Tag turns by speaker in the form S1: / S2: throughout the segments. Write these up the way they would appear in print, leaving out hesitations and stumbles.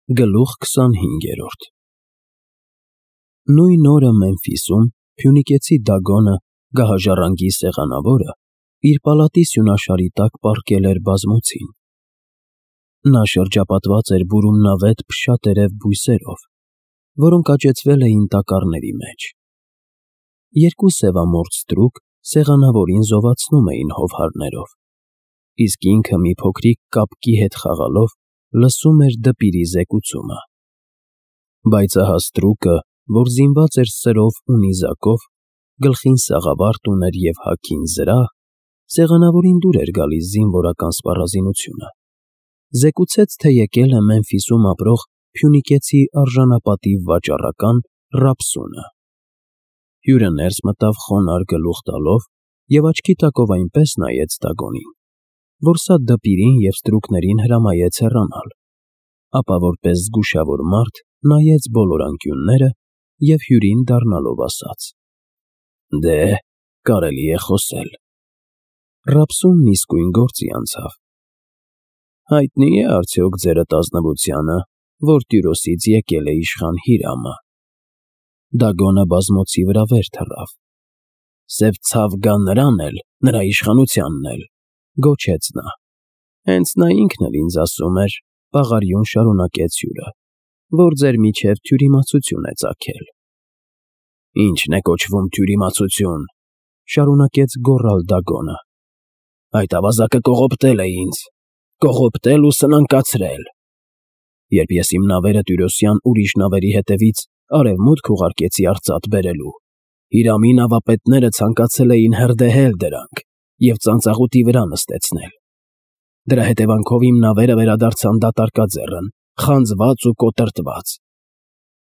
S1: Գլուխ 25 Նույն օրը Մեմֆիսում փյունիկեցի Դագոնը, գահաժառանգի սեղանավորը, իր պալատի սյունաշարի տակ պառկել էր բազմոցին. նա շրջապատված էր բուրումնավետ փշատերև բույսերով, որոնք աճեցվել էին տակառների մեջ. երկու սևամորձ ստրուկ սեղանավորին զովացնում էին հովհարներով, իսկ ինքը մի փոքրիկ կապկի հետ խաղալով լսում էր դպիրի զեկուցումը. բայց ահա ստրուկը, որ զինված էր սրով ու նիզակով, գլխին սաղավարտ ուներ և հագին զրահ, սեղանավորին դուր էր գալիս զինվորական սպառազինությունը, զեկուցեց, թե եկել է Մեմֆիսում ապրող փյունիկեցի արժանապատիվ վաճառական Ռապսունը. հյուրը ներս մտավ խոնարհ գլուխ տալով և աչքի տակով այնպես նայեց Դագոնին, որ սա դպիրին և ստրուկներին հրամայեց հեռանալ, ապա որպես զգուշավոր մարդ նայեց բոլոր անկյունները և հյուրին դառնալով ասաց. «Դե, կարելի է խոսել»։ Ռապսունն իսկույն գործի անցավ. «Հայտնի է արդյոք ձերդ ազնվությանը, որ Տյուրոսից եկել է իշխան Հիրամը»։ Դագոնը բազմոցի վրա վեր թռավ. «Սև ցավ գա նրան էլ, նրա իշխանությանն էլ», գոչեց նա. «հենց նա ինքն էլ ինձ ասում էր», պաղարիուն շարունակեց հյուրը, «որ ձեր միջև թյուրիմացություն է ծագել»։ «Ի՞նչն է կոչվում թյուրիմացություն», շարունակեց գոռալ Դագոնը։ «Այդ ավազակը կողոպտել է ինձ, կողոպտել ու սնանկացրել։ Երբ ես իմ նավերը Տյուրոսյան ուրիշ նավերի հետևից արևմուտք ուղարկեցի արծաթ բերելու, Հիրամի նավապետները ցանկացել էին հրդեհել դրանք և ծանծաղուտի վրա նստեցնել։ Դրա հետևանքով իմ նավերը վերադարձան դատարկաձեռն, խանձված ու կոտրտված։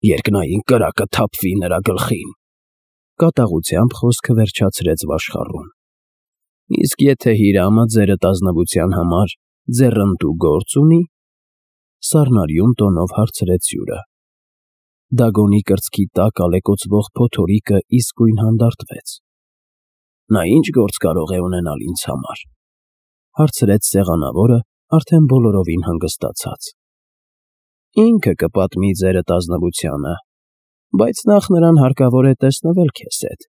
S1: Երկնային կրակը թափվի նրա գլխին»։ Կատաղությամբ խոսքը վերջացրեց վաշխառուն. «Իսկ եթե Հիրամը ձերդ ազնվության համար ձեռնտու գործ ունի»։ Սառնարյուն տոնով հարցրեց հյուրը։ Դագոնի կրծքի տակ ալեկոծվող փոթորիկը իսկույն հանդարտվեց։ «Նա ի՞նչ գործ կարող է ունենալ ինձ համար», հարցրեց սեղանավորը արդեն բոլորովին հանգստացած։ «Ինքը կպատմի ձերդ ազնվությանը, բայց նախ նրան հարկավոր է տեսնվել քեզ հետ»։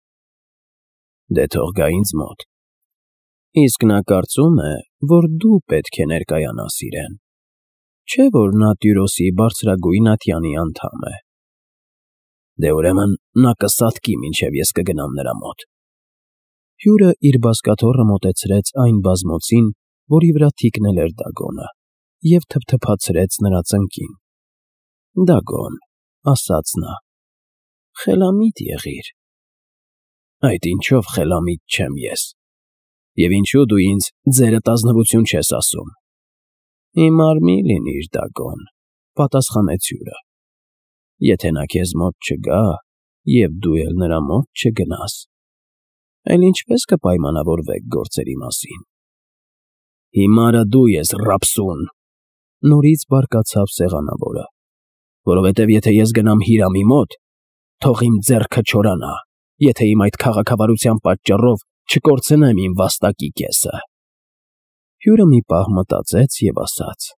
S1: «Դե թող գա ինձ մոտ»։ «Իսկ նա կարծում է, որ դու պետք է ներկայանաս իրեն, չէ՞ որ նա Տյուրոսի բարձրագույն ատյանի անդամ է»։ «Դե ուրեմն նա կսատկի, մինչև ես կգնամ նրա մոտ»։ Հյուրը իր բազկաթոռը մոտեցրեց այն բազմոցին, որի վրա թիկնել էր Դագոնը, և թփթփացրեց նրա ծնկին։ «Դագոն», ասաց նա, «խելամիտ եղիր»։ «Այդ ինչով խելամիտ չեմ ես։ Եվ ինչու դու ինձ ձերդ ազնվություն չես ասում»։ «Հիմար մի լինիր, Դագոն», պատասխանեց հյուրը։ «Եթե նա քեզ մոտ չգա, և դու էլ նրա մոտ չգնաս, այլ ինչպե՞ս կպայմանավորվեք գործերի մասին»։ «Հիմարը դու ես, Ռապսուն», նորից բարկացավ սեղանավորը, «որովհետև եթե ես գնամ Հիրամի մոտ, թող իմ ձեռքը չորանա, եթե իմ այդ քաղաքավարության պատճառով չկորցնեմ իմ վաստակի կեսը»։ Հյուրը մի պահ մտածեց և ասաց.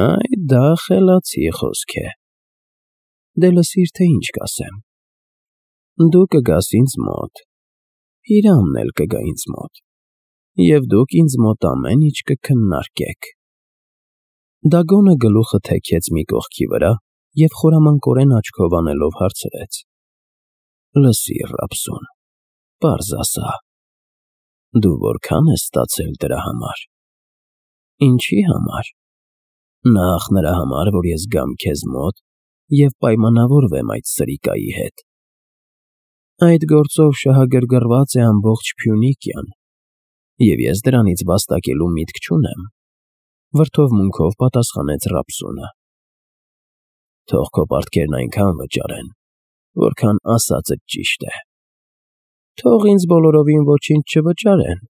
S1: «Այ դա խելացի խոսք է։ Դե լսիր, թե ինչ կասեմ։ Դու կգաս ինձ մոտ, Հիրամն էլ կգա ինձ մոտ, և դուք ինձ մոտ ամեն ինչ կքննարկեք»։ Դագոնը գլուխը թեքեց մի կողքի վրա և խորամանկորեն աչքով անելով հարցրեց. «Լսիր, Ռապսուն, պարզ ասա, դու որքա՞ն ես ստացել դրա համար»։ «Ինչի համար»։ «Նախ նրա համար, որ ես գամ քեզ մոտ և պայմանավորվեմ այդ սրիկայի հետ»։ «Այդ գործով շահագրգռված է ամբողջ Փյունիկիան, և ես դրանից վաստակելու միտք չունեմ», վրդովմունքով պատասխանեց Ռապսունը։ «Թող քո պարտքերն այնքան վճարեն, որքան ասածդ ճիշտ է»։ «Թող ինձ բոլորովին ոչինչ չվճարեն,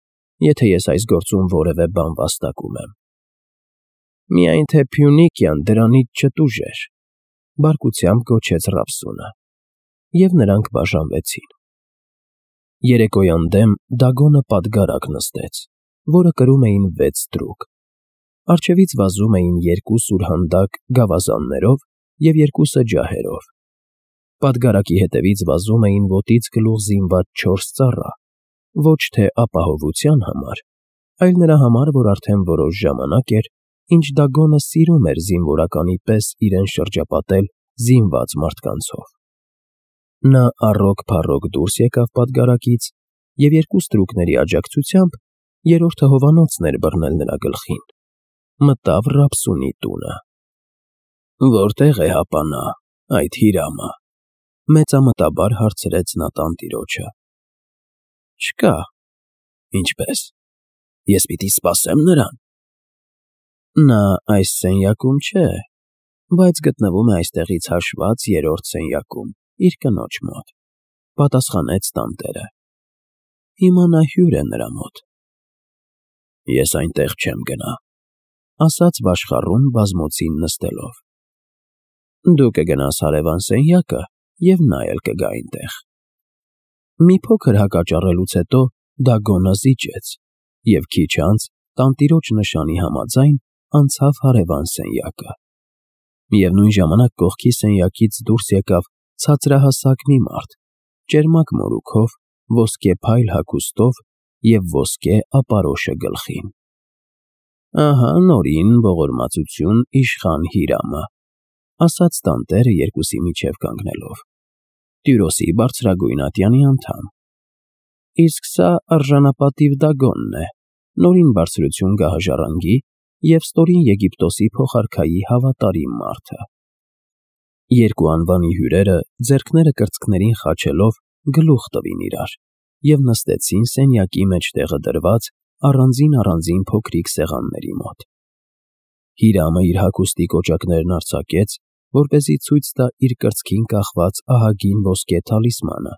S1: եթե ես այս գործում որևէ բան վաստակում եմ։ Միայն թե Փյունիկիան դրանից չտուժեր», բարկությամբ գոչեց Ռապսունը, և նրանք բաժանվեցին։ Երեկոյան դեմ Դագոնը պատգարակ նստեց, որը կրում էին 6 ստրուկ։ Առջևից վազում էին երկու սուրհանդակ գավազաններով և երկուսը ջահերով։ Պատգարակի հետևից վազում էին ոտից գլուխ զինված 4 ծառա, ոչ թե ապահովության համար, այլ նրա համար, որ արդեն որոշ ժամանակ էր, ինչ Դագոնը սիրում էր զինվորականի պես իրեն շրջապատել զինված մարդկանցով։ Նա առոք-փառոք դուրս եկավ պատգարակից և երկու ստրուկների աջակցությամբ երրորդը հովանոցն էր բռնել նրա գլխին, մտավ Ռապսունի տունը։ «Որտե՞ղ է հապա նա, այդ Հիրամը», մեծամտաբար հարցրեց նա տանտիրոջը։ «Չկա»։ «Ինչպե՞ս, ես պիտի սպասե՞մ նրան»։ «Նա այս սենյակում չէ, բայց գտնվում է այստեղից հաշված երրորդ սենյակում, իր կնոջ մոտ», պատասխանեց տանտերը։ «Հիմա նա հյուր է նրա մոտ»։ «Ես այնտեղ չեմ գնա», ասաց վաշխառուն բազմոցին նստելով։ «Դու կգնաս հարևան սենյակը, և նա էլ կգա այնտեղ»։ Մի փոքր հակաճառելուց հետո Դագոնը զիջեց և քիչ անց տանտիրոջ նշանի համաձայն անցավ հարևան սենյակը։ Միևնույն ժամանակ կողքի սենյակից դուրս եկավ ցածրահասակ մի մարդ, ճերմակ մորուքով, ոսկե փայլ հագուստով և ոսկե ապարոշը գլխին։ «Ահա նորին ողորմածություն իշխան Հիրամը», ասաց տանտերը երկուսի միջև կանգնելով, «Տյուրոսի բարձրագույն ատյանի անդամ։ Իսկ սա արժանապատիվ Դագոնն է, նորին բարձրություն գահաժառանգի և ստորին Եգիպտոսի փոխարքայի հավատարիմ մարդը»։ Երկու անվանի հյուրերը ձեռքները կրծքներին խաչելով գլուխ տվին իրար և նստեցին սենյակի մեջտեղը դրված առանձին փոքրիկ սեղանների մոտ։ Հիրամը իր հագուստի կոճակներն արձակեց, որպեսզի ցույց տա իր կրծքին կախված ահագին ոսկե թալիսմանը։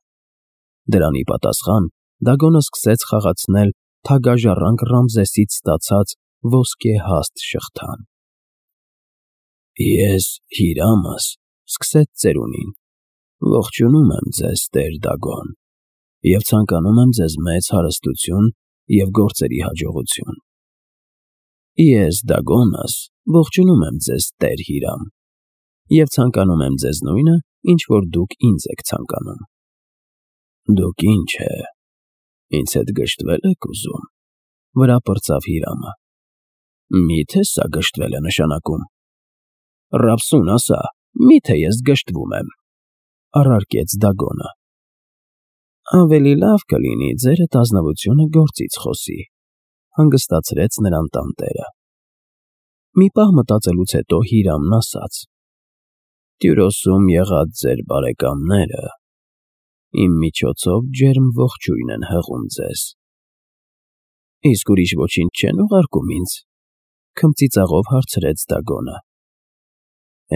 S1: Դրան ի պատասխան Դագոնը սկսեց խաղացնել թագաժառանգ Ռամզեսից ստացած ոսկե հաստ շղթան։ «Ես Հիրամս», սկսեց ծերունին, «ողջունում եմ ձեզ, տեր Դագոն, և ցանկանում եմ ձեզ մեծ հարստություն և գործերի հաջողություն։ Ես Դագոնս ողջունում եմ ձեզ, տեր Հիրամ, և ցանկանում եմ ձեզ նույնը, ինչ որ դուք ինձ եք ցանկանում»։ «Դուք ինչ է, ինձ հետ գժտվե՞լ եք ուզում», վրա պրծավ Հիրամը։ «Մի՞թե սա գժտվել է նշանակում։ Ռապսուն, ասա, մի՞թե ես գժտվում եմ», առարկեց Դագոնը։ «Ավելի լավ կլինի ձերդ ազնվությունը գործից խոսի», հանգստացրեց նրան տանտերը։ Մի պահ մտածելուց հետո Հիրամն ասաց. «Տյուրոսում եղած ձեր բարեկամները իմ միջոցով ջերմ ողջույն են հղում ձեզ»։ «Իսկ ուրիշ ոչինչ չեն ուղարկում ինձ», քմծիծաղով հարցրեց Դագոնը։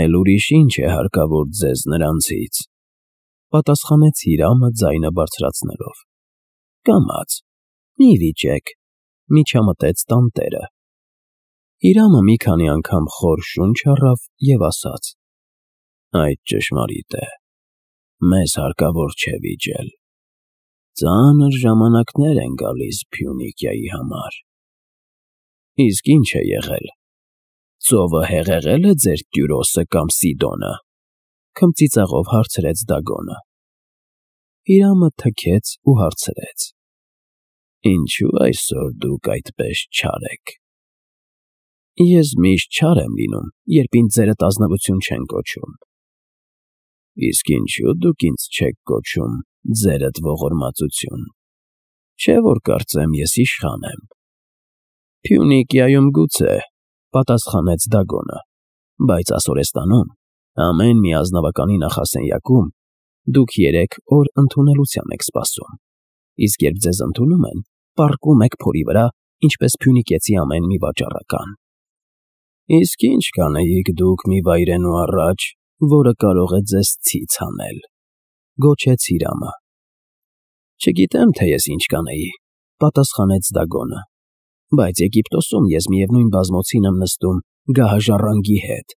S1: «Էլ ուրիշ ինչ է հարկավոր ձեզ նրանցից», պատասխանեց Հիրամը ձայնը բարձրացնելով։ «Կամաց, մի վիճեք», միջամտեց տանտերը։ Հիրամը մի քանի անգամ խոր շունչ առավ և ասաց. «Այդ ճշմարիտ է, մեզ հարկավոր չէ վիճել։ Ծանր ժամանակներ են գալիս Փյունիկիայի համար»։ «Իսկ ինչ է եղել, ծովը հեղեղել է ձեր Տյուրոսը կամ Սիդոնը», քմծիծաղով հարցրեց Դագոնը։ Հիրամը թքեց ու հարցրեց. «Ինչու այսօր դուք այդպես չար եք»։ «Ես միշտ չար եմ լինում, երբ ինձ ձերդ ազնվություն չեն կոչում»։ «Իսկ ինչու դուք ինձ չեք կոչում ձերդ ողորմածություն, չէ՞ որ կարծեմ ես իշխան եմ»։ «Փյունիկիայում գուցե», պատասխանեց Դագոնը, «բայց Ասորեստանում, ամեն մի ազնվականի նախասենյակում դուք 3 օր ընդունելության եք սպասում, իսկ երբ ձեզ ընդունում են, պառկում եք փորի վրա, ինչպես փյունիկեցի ամեն մի վաճառական»։ «Իսկ ի՞նչ կանեիք դուք մի վայրենու առաջ, որը կարող է ձեզ ցից հանել», գոչեց Հիրամը։ «Չգիտեմ, թե ես ինչ կանեի», պատասխանեց Դագոնը, «բայց Եգիպտոսում ես միևնույն բազմոցին եմ նստում գահաժառանգի հետ,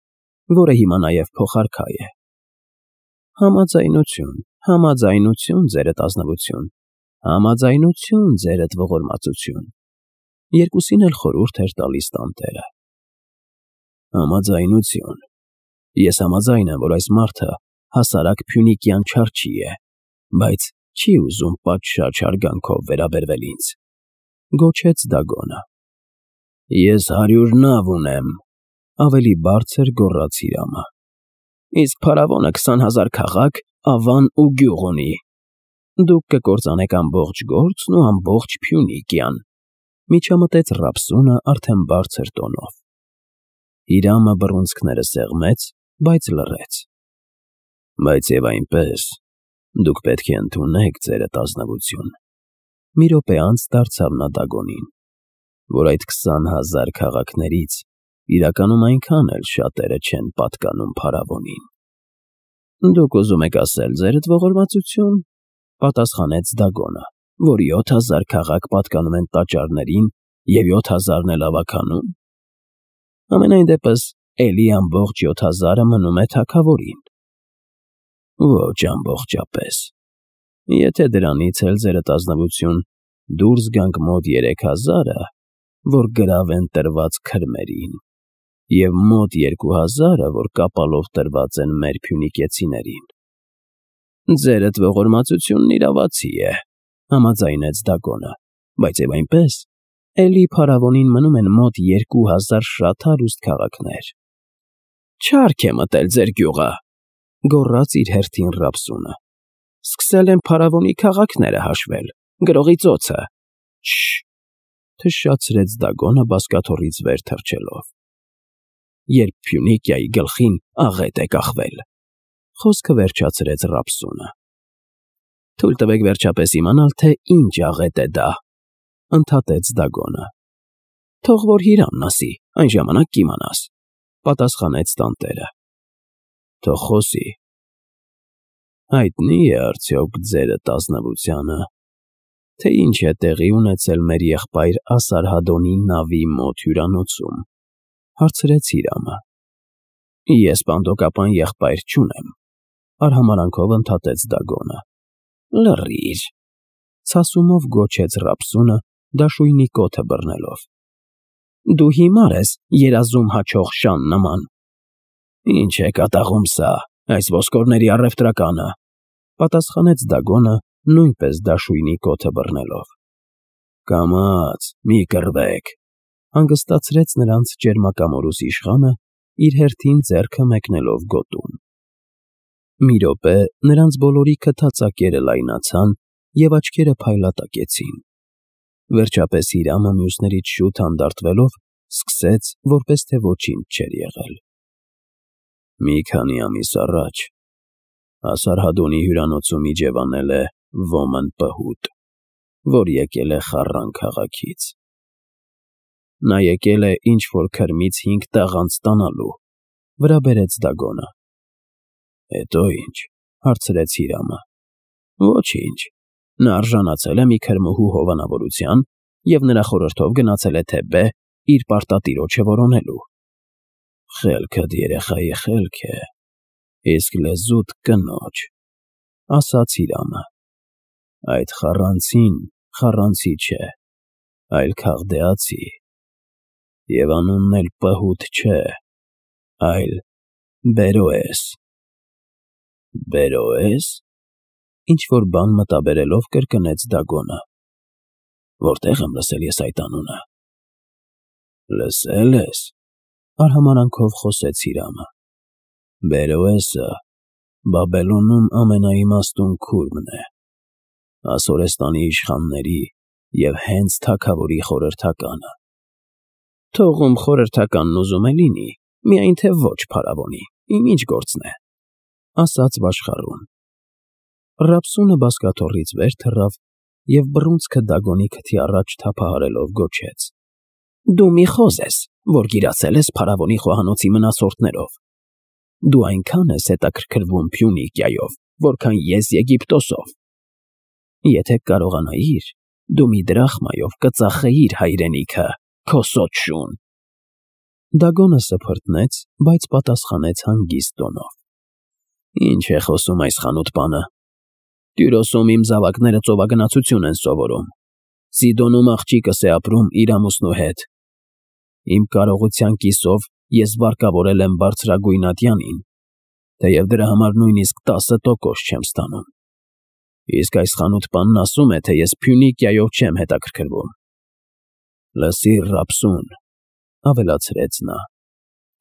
S1: որը հիմա նաև փոխարքա է»։ «Համաձայնություն, համաձայնություն, ձերդ ազնվություն, համաձայնություն, ձերդ ողորմածություն», երկուսին էլ խորհուրդ էր տալիս տանտերը։ Համաձայնություն։ Ես համաձայն եմ, որ այս մարդը հասարակ փյունիկյան չարչի է, բայց չի ուզում պատշաճ հարգանքով վերաբերվել ինձ։ Գոչեց Դագոնը։ Ես 100 նավ ունեմ, ավելի բարձր գոռաց Հիրամը։ Իսկ փարավոնը 20,000 քաղաք, ավան ու գյուղ ունի։ Դուք կկործանեք ամբողջ գործն ու ամբողջ Փյունիկյան, միջամտեց Ռապսունը արդեն բարձր տոնով։ Հիրամը բռունցքները սեղմեց, բայց լռեց։ Բայց եւ այնպես, դուք պետք է ընդունեք ձերդ ազնվություն։ Մի րոպե անց դարձավ նա Դագոնին, որ այդ 20,000 քաղաքներից իրականում այնքան էլ շատերը չեն պատկանում փարավոնին։ Դուք ուզում եք ասել ձերդ ողորմածություն, պատասխանեց Դագոնը, որ 7,000 քաղաք պատկանում են տաճարներին և 7,000-ն էլ ավագանում։ Ամենայն դեպս էլի ամբողջ 7,000-ը մնում է թագավորին։ Ոչ ամբողջապես։ Եթե դրանից էլ ձերդ ազնվություն դուրս գանք մոտ 3,000-ը, որ գրավ են տրված քրմերին, և մոտ 2,000-ը, որ կապալով տրված են մեր փյունիկեցիներին։ Ձերդ ողորմածությունն իրավացի է, համաձայնեց Դագոնը, բայց եւ այնպես, էլի փարավոնին մնում են մոտ 2,000 շատ հարուստ քաղաքներ։ Չարք է մտել ձեր գյուղը, գոռաց իր հերթին Ռապսունը։ Սկսել են փարավոնի քաղաքները հաշվել, գրողի ծոցը։ Շշ, թշշացրեց Դագոնը բազկաթոռից վեր թռչելով։ Երբ Փյունիկիայի գլխին աղետ է կախվել, խոսքը վերջացրեց Ռապսունը։ Թույլ տվեք վերջապես իմանալ, թե ինչ աղետ է դա, ընդհատեց Դագոնը։ Թող որ Հիրամն ասի, այն ժամանակ կիմանաս, պատասխանեց տանտերը։ Թող խոսի։ Հայտնի է արդյոք ձերդ ազնվությանը, թե ինչ է տեղի ունեցել մեր եղբայր Ասարհադոնի նավի մոտ հյուրանոցում, հարցրեց Հիրամը։ Ես պանդոկապան եղբայր չունեմ, արհամարանքով ընդհատեց Դագոնը։ Լռիր, ցասումով գոչեց Ռապսունը, դաշույնի կոթը բռնելով։ Դու հիմար ես երազում հաչող շան նման։ Ինչ է կատաղում սա, այս ոսկորների առևտրականը, պատասխանեց Դագոնը, նույնպես դաշույնի կոթը բռնելով։ Կամաց, մի կռվեք, հանգստացրեց նրանց ճերմակամորուս իշխանը, իր հերթին ձեռքը մեկնելով գոտուն։ Մի րոպե նրանց բոլորի քթածակերը լայնացան և աչքերը փայլատակեցին։ Վերջապես Հիրամը մյուսներից շուտ հանդարտվելով սկսեց, որպես թե ոչինչ չէր եղել։ Մի քանի ամիս առաջ Ասարհադոնի հյուրանոցում իջևանել է ոմն պհուտ, որ եկել է Խառան քաղաքից։ Նա եկել է ինչ-որ քրմից 5 տաղանդ ստանալու, վրա բերեց Դագոնը։ Հետո ինչ, հարցրեց Հիրամը։ Ոչինչ, նա արժանացել է մի քրմուհու հովանավորության և նրա խորհրդով գնացել է Թեբե իր պարտատիրոջը որոնելու։ Խելքդ երեխայի խելք է, իսկ լեզուդ կնոջ, ասաց Հիրամը։ Այդ խառանցին խառանցի չէ, այլ քաղդեացի, և անունն էլ պհուտ չէ, այլ Բերոես։ Բերոես։ Ինչ-որ բան մտաբերելով կրկնեց Դագոնը։ Որտեղ եմ լսել ես այդ անունը։ Լսել ես, արհամարանքով խոսեց Հիրամը։ Բերոեսը Բաբելոնում ամենաիմաստուն քուրմն է, Ասորեստանի իշխանների և հենց թագավորի խորհրդականը։ Թողում խորհրդականն ուզում է լինի, միայն թե ոչ փարավոնի, իմ ինչ գործն է, ասաց վաշխառուն։ Ռապսունը բազկաթոռից վեր թռավ և բռունցքը Դագոնի քթի առաջ թափահարելով գոչեց. Դու մի խոզ ես, որ գիրացել ես փարավոնի խոհանոցի մնացորդներով։ Դու այնքան ես հետաքրքրվում Փյունիկիայով, որքան ես Եգիպտոսով։ Եթե կարողանայիր, դու մի դրախմայով կծախեիր հայրենիքը, քո սոտ շուն։ Դագոնը սփռտնեց, բայց պատասխանեց հանգիստ տոնով. Ինչ է խոսում այս խանութ-պանը։ Տյուրոսում իմ զավակները ծովագնացություն են սովորում։ Սիդոնում աղջիկս է ապրում իր ամուսնու հետ։ Իմ կարողության կիսով ես վարկավորել եմ բարձրագույն ատյանին, թեև դրա համար նույնիսկ 10% չեմ ստանում։ Իսկ այս խանութ-պանն ասում է, թե ես Փյունիկիայով չեմ հետաքրքրվում։ Լսիր, Ռապսուն, ավելացրեց նա,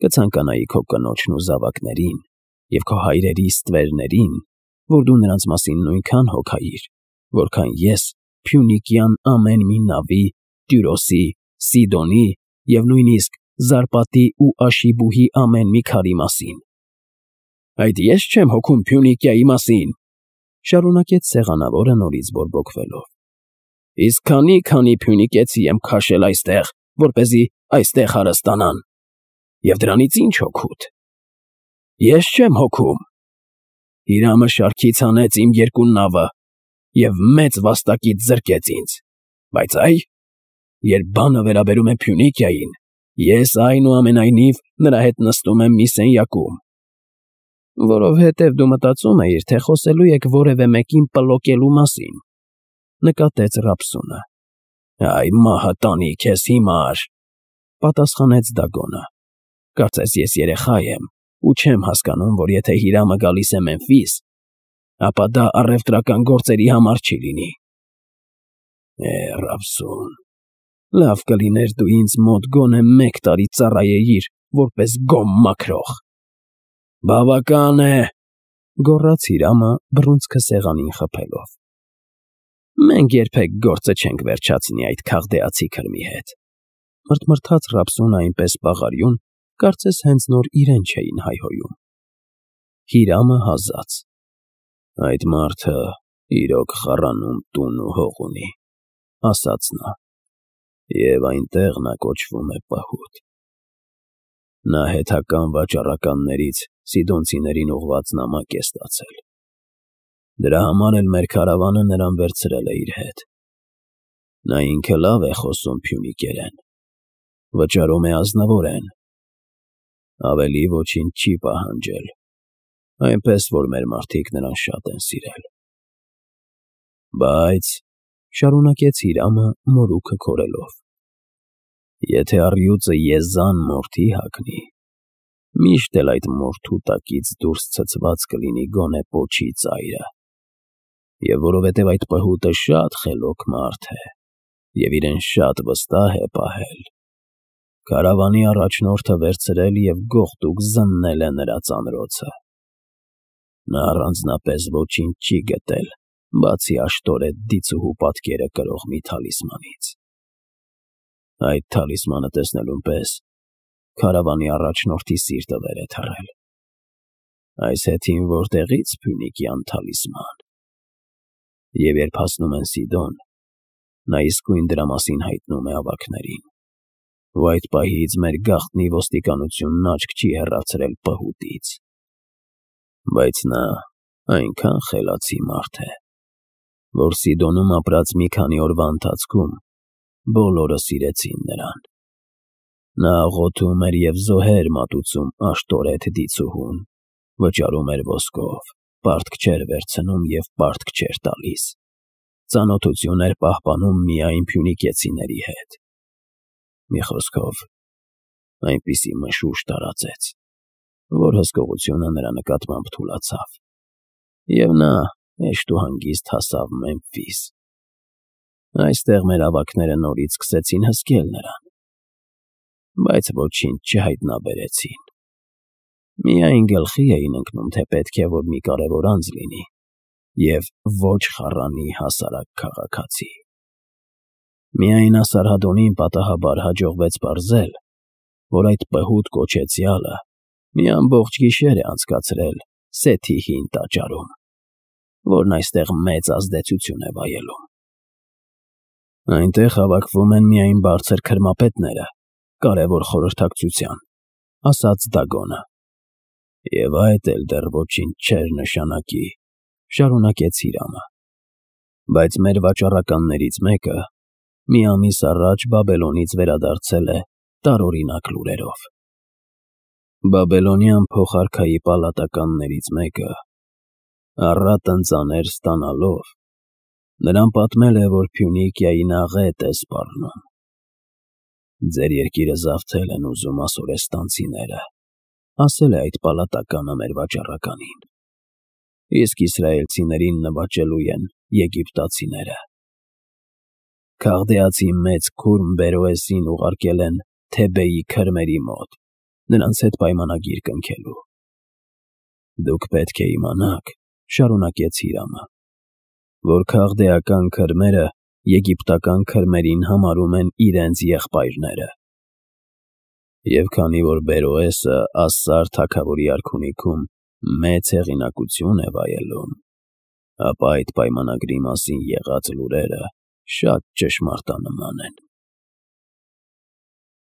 S1: կցանկանայի քո կնոջն ու զավակներին և քո հայրերի ստվերներին, որ դու նրանց մասին նույնքան հոգայիր, որքան ես Փյունիկյան ամեն մի նավի, Տյուրոսի, Սիդոնի և նույնիսկ Զարպատի ու Աշիբուհի ամեն մի քարի մասին։ Այդ ես չեմ հոգում Փյունիկիայի մասին, շարունակեց սեղանավորը նորից բորբոքվելով։ Իսկ քանի փյունիկեցի եմ քաշել այստեղ, որպեսզի այստեղ հարստանան։ Եվ դրանից ինչ օգուտ։ Ես չեմ հոգում։ Հիրամը շարքից հանեց իմ երկու նավը և մեծ վաստակից զրկեց ինձ, բայց երբ բանը վերաբերում է Փյունիկիային, ես այնուամենայնիվ նրա հետ նստում եմ մի սենյակում։ Որովհետև դու մտածում էիր, թե խոսելու եք որևէ մեկին պլոկելու մասին, նկատեց Ռապսունը։ Այ մահը տանի քեզ հիմար, պատասխանեց Դագոնը։ Կարծես ես երեխա եմ ու չեմ հասկանում, որ եթե Հիրամը գալիս է Մեմֆիս, ապա դա առևտրական գործերի համար չի լինի։ Ռապսուն, լավ կլիներ դու ինձ մոտ գոնե 1 տարի ծառայեիր որպես գոմ մաքրող։ Բավական է, գոռաց Հիրամը բռունցքը սեղանին խփելով։ Մենք երբեք գործը չենք վերջացնի այդ քաղդեացի քրմի հետ, մրթմրթաց Ռապսունը այնպես բաղարյուն, կարծես հենց նոր իրեն չէին հայհոյում։ Հիրամը հազաց. Այդ մարդը իրոք խառանում տուն ու հող ունի, ասաց նա, և այնտեղ նա կոչվում է պահուտ։ Նա հեթական վաճառականներից սիդոնցիներին ուղղված նամակ է ստացել։ Դրա համար էլ մեր քարավանը նրան վերցրել է իր հետ։ Նա ինքը լավ է խոսում փյունիկերեն, վճարում է ազնվորեն, ավելի ոչինչ չի պահանջել, այնպես որ մեր մարդիկ նրան շատ են սիրել։ Բայց, շարունակեց Հիրամը մորուքը քորելով, եթե առյուծը եզան մորթի հագնի, միշտ էլ այդ մորթու տակից դուրս ցցված կլինի գոնե պոչի ծայրը, և որովհետև այդ պհուտը շատ խելոք մարդ է և իրեն շատ վստահ է պահել, քարավանի առաջնորդը վերցրել և գողտուկ զննել է նրա ծանրոցը։ Նա առանձնապես ոչինչ չի գտել, բացի աշտորետ դիցուհու պատկերը կրող մի թալիսմանից։ Այդ թալիսմանը տեսնելուն պես քարավանի առաջնորդի սիրտը վեր է թռել։ Այս հեթին որտեղից փյունիկյան թալիսման։ Եվ երբ հասնում են Սիդոն, նա իսկույն դրա մասին հայտնում է ավագներին, ու այդ պահից մեր գաղտնի ոստիկանությունն աչք չի հեռացրել պհուտից։ Բայց նա այնքան խելացի մարդ է, որ Սիդոնում ապրած մի քանի օրվա ընթացքում բոլորը սիրեցին նրան։ Նա աղոթում էր և զոհեր մատուցում աշտորետ դիցուհուն, վճարում էր ոսկով, պարտք չէր վերցնում և պարտք չէր տալիս, ծանոթություն էր պահպանում միայն փյունիկեցիների հետ։ Մի խոսքով, այնպիսի մշուշ տարածեց, որ հսկողությունը նրա նկատմամբ թուլացավ, և նա հեշտ ու հանգիստ հասավ Մեմֆիս։ Այստեղ մեր ավագները նորից սկսեցին հսկել նրան, բայց ոչինչ չհայտնաբերեցին։ Միայն գլխի էին ընկնում, թե պետք է որ մի կարևոր անձ լինի և ոչ խառանի հասարակ քաղաքացի։ Միայն Ասարհադոնին պատահաբար հաջողվեց պարզել, որ այդ պհուտ կոչեցյալը մի ամբողջ գիշեր է անցկացրել Սեթի հին տաճարում, որն այստեղ մեծ ազդեցություն է վայելում։ Այնտեղ հավաքվում են միայն բարձր քրմապետները, կարևոր խորհրդակցության, ասաց Դագոնը։ Եվ այդ էլ դեռ ոչինչ չէր նշանակի, շարունակեց Հիրամը։ Բայց մեր վաճառականներից մեկը մի ամիս առաջ Բաբելոնից վերադարձել է տարօրինակ լուրերով։ Բաբելոնյան փոխարքայի պալատականներից մեկը, առատն ծանր ստանալով, նրան պատմել է, որ Փյունիկիային աղետ է սպառնում։ Ձեր երկիրը զավթել են ուզում ասորեստանցիները, ասել է այդ պալատականը մեր վաճառականին, իսկ իսրայելցիներին նվաճելու են եգիպտացիները։ Քաղդեացի մեծ քուրմ Բերոեսին ուղարկել են Թեբեի քրմերի մոտ, նրանց հետ պայմանագիր կնքելու։ Դուք պետք է իմանաք, շարունակեց Հիրամը, որ քաղդեական քրմերը եգիպտական քրմերին համարում են իրենց եղբայրները։ Եվ քանի որ Բերոեսը Ասսար թագավորի արքունիքում մեծ հեղինակություն է վայելում, ապա այդ պայմանագրի մասին եղած լուրերը շատ ճշմարտանման են։